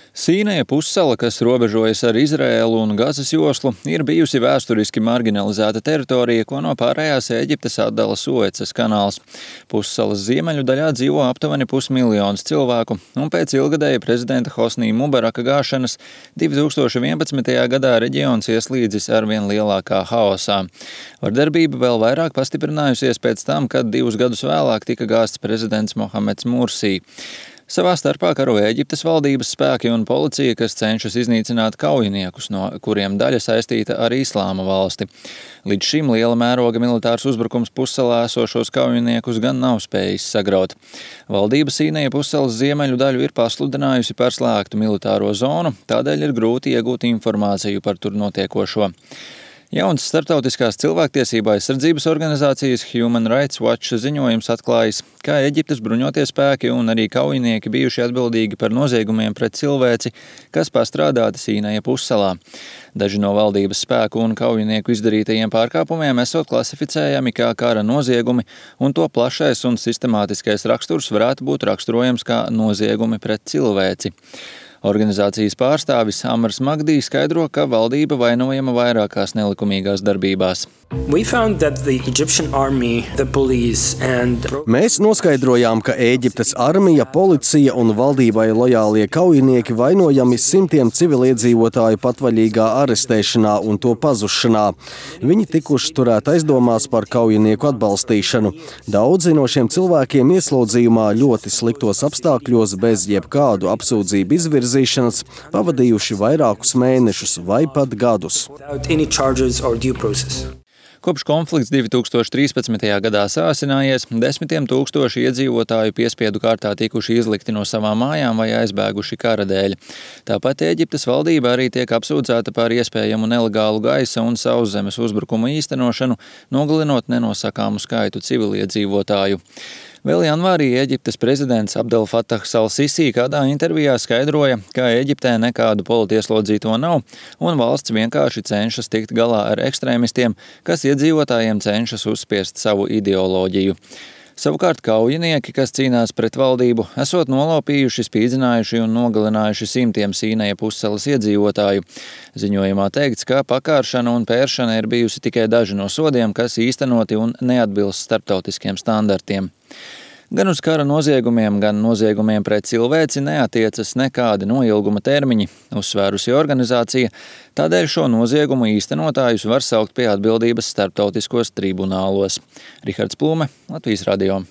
Sīnaja pussala, kas robežojas ar Izraēlu un Gazas joslu, ir bijusi vēsturiski marginalizēta teritorija, ko no pārējās Ēģiptes atdala Suecas kanāls. Pussalas ziemeļu daļā dzīvo aptuveni 500 000 cilvēku, un pēc ilgadēja prezidenta Hosnī Mubaraka gāšanas 2011. gadā reģions ieslīdzis arvien lielākā haosā. Vardarbība vēl vairāk pastiprinājusies pēc tam, kad 2 gadus vēlāk tika gāsts prezidents Mohameds Mursī. Savā starpā karo Ēģiptes valdības spēki un policija, kas cenšas iznīcināt kaujiniekus, no kuriem daļa saistīta ar Islāma valsti. Līdz šim liela mēroga militārs uzbrukums pussalā esošos kaujiniekus gan nav spējis sagraut. Valdība Sīnaja pussalas ziemeļu daļu ir pasludinājusi par slēgtu militāro zonu, tādēļ ir grūti iegūt informāciju par tur notiekošo. Jauns starptautiskās cilvēktiesība aizsardzības organizācijas Human Rights Watch ziņojums atklājis, ka Ēģiptes bruņotie spēki un arī kaujinieki bijuši atbildīgi par noziegumiem pret cilvēci, kas pastrādāti Sīnaja pussalā. Daži no valdības spēku un kaujinieku izdarītajiem pārkāpumiem esot klasificējami kā kara noziegumi, un to plašais un sistemātiskais raksturs varētu būt raksturojams kā noziegumi pret cilvēci. Organizācijas pārstāvis Amrs Magdī skaidro, ka valdība vainojama vairākās nelikumīgās darbībās. Mēs noskaidrojām, ka Ēģiptes armija, policija un valdībai lojālie kaujinieki vainojami simtiem civiliedzīvotāju patvaļīgā arestēšanā un to pazušanā. Viņi tikuši turēti aizdomās par kaujinieku atbalstīšanu. Daudzi no šiem cilvēkiem ieslodzījumā ļoti sliktos apstākļos bez jebkādu apsūdzību izvirzīšanas pavadījuši vairākus mēnešus vai pat gadus. Kopš konflikts 2013. gadā sāsinājies, 10 000 iedzīvotāju piespiedu kārtā tikuši izlikti no savām mājām vai aizbēguši kara dēļ. Tāpat Ēģiptes valdība arī tiek apsūdzēta par iespējamu nelegālu gaisa un sauszemes uzbrukumu īstenošanu, nogalinot nenosakāmu skaitu civiliedzīvotāju. Vēl janvārī Ēģiptes prezidents Abdel Fatahs al-Sisi kādā intervijā skaidroja, ka Ēģiptē nekādu politieslodzīto nav, un valsts vienkārši cenšas tikt galā ar ekstrēmistiem, kas iedzīvotājiem cenšas uzspiest savu ideoloģiju. Savukārt kaujinieki, kas cīnās pret valdību, esot nolopījuši, spīdzinājuši un nogalinājuši simtiem Sīnaja pussalas iedzīvotāju. Ziņojumā teikts, ka pakāršana un pēršana ir bijusi tikai daži no sodiem, kas īstenoti un neatbilst starptautiskiem standartiem. Gan uz kara noziegumiem, gan noziegumiem pret cilvēci neatiecas nekādi noilguma termiņi, uzsvērusi organizācija, tādēļ šo noziegumu īstenotājus var saukt pie atbildības starptautiskos tribunālos. Rihards Plume, Latvijas radio.